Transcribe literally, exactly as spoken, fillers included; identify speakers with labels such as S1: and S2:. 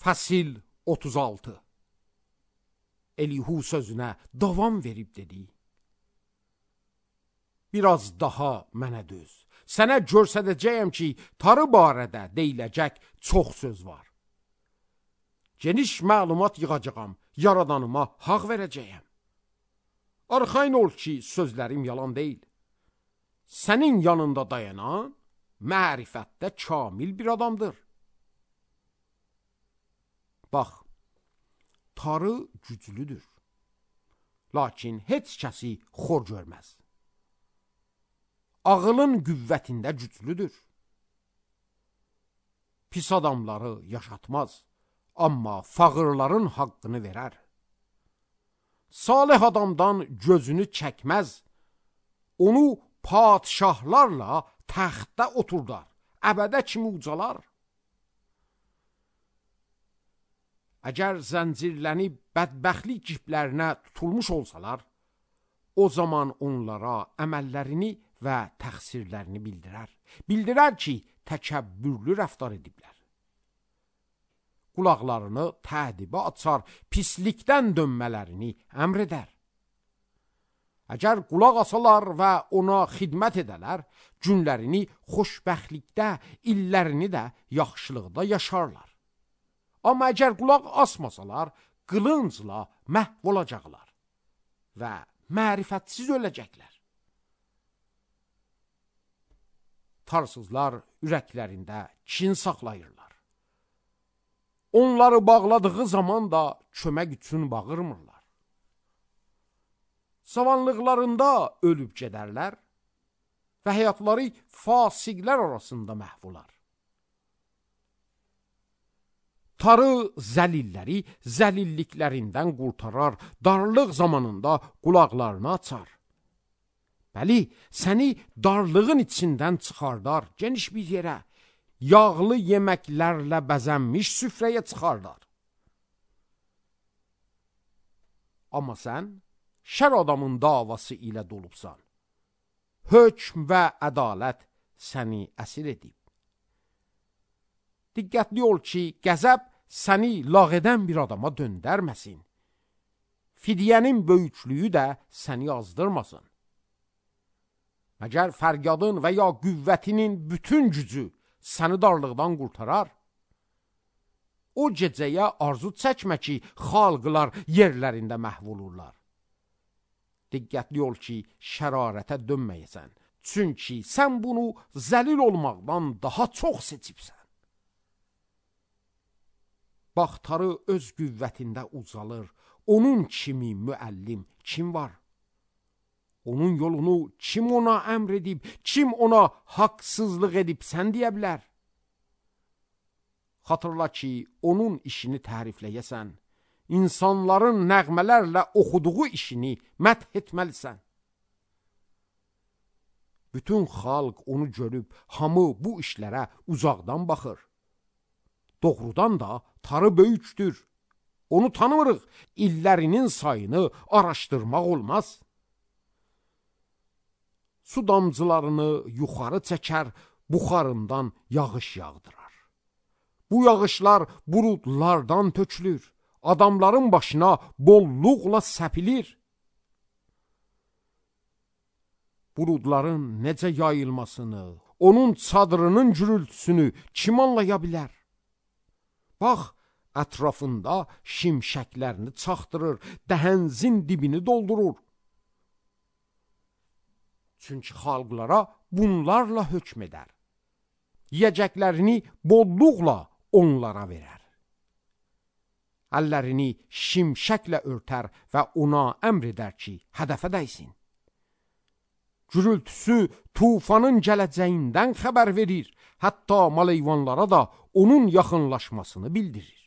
S1: Fəsil otuz altı. Elihu sözünə davam verib dedi: biraz daha mənə döz. Sənə görsədəcəyəm ki, tarı barədə deyiləcək çox söz var. Geniş məlumat yığacağam, yaradanıma haqq verəcəyəm. Arxayın ol ki, sözlərim yalan deyil. Sənin yanında dayanan mərifətdə kamil bir adamdır. Bax, tarı güclüdür, lakin heç kəsi xor görməz. Ağılın qüvvətində güclüdür. Pis adamları yaşatmaz, amma fağırların haqqını verər. Salih adamdan gözünü çəkməz, onu padişahlarla təxtdə oturdar, əbədə kimi ucalar. Əgər zəncirlənib bədbəxtlik ciplərinə tutulmuş olsalar, o zaman onlara əməllərini və təqsirlərini bildirər. Bildirər ki, təkəbbürlü rəftar ediblər. Qulaqlarını tədibə açar, pislikdən dönmələrini əmr edər. Əgər qulaq asalar və ona xidmət edələr, günlərini xoşbəxtlikdə, illərini də yaxşılıqda yaşarlar. Amma əgər qulaq asmasalar, qılıncla məhv olacaqlar və mərifətsiz öləcəklər. Tarsızlar ürəklərində kin saxlayırlar. Onları bağladığı zaman da kömək üçün bağırmırlar. Savanlıqlarında ölüb gedərlər və həyatları fasiqlər arasında məhv olar. Tarı zəlilləri zəlilliklərindən qurtarar, darlıq zamanında qulaqlarını açar. Bəli, səni darlığın içindən çıxardar, geniş bir yerə, yağlı yeməklərlə bəzənmiş süfrəyə çıxardar. Amma sən şər adamın davası ilə dolubsan. Hökm və ədalət səni əsir edib. Diqqətli ol ki, qəzəb səni lağ edən bir adama döndərməsin. Fidyənin böyüklüyü də səni azdırmasın. Məgər fəryadın və ya qüvvətinin bütün gücü səni darlıqdan qurtarar? O gecəyə arzu çəkmə ki, xalqlar yerlərində məhv olurlar. Diqqətli ol ki, şərarətə dönməyəsən. Çünki sən bunu zəlil olmaqdan daha çox seçibsən. Bax, tarı öz qüvvətində ucalır. Onun kimi müəllim kim var? Onun yolunu kim ona əmr edib, kim ona haqsızlıq edib sən deyə bilər? Xatırla ki, onun işini tərifləyəsən, insanların nəğmələrlə oxuduğu işini məth etməlisən. Bütün xalq onu görüb, hamı bu işlərə uzaqdan baxır. Doğrudan da tarı böyükdür. Onu tanımırıq, illərinin sayını araşdırmaq olmaz. Su damcılarını yuxarı çəkər, buxarından yağış yağdırar. Bu yağışlar buludlardan tökülür, adamların başına bolluqla səpilir. Buludların necə yayılmasını, onun çadırının gürültüsünü kim anlaya bilər? Bax, ətrafında şimşəklərini çaxdırır, dəhənzin dibini doldurur. Çünki xalqlara bunlarla hökm edər. Yiyəcəklərini bolluqla onlara verər. Əllərini şimşəklə örtər və ona əmr edər ki, hədəfə dəysin. Gürültüsü tufanın gələcəyindən xəbər verir, hətta maleyvanlara da onun yaxınlaşmasını bildirir.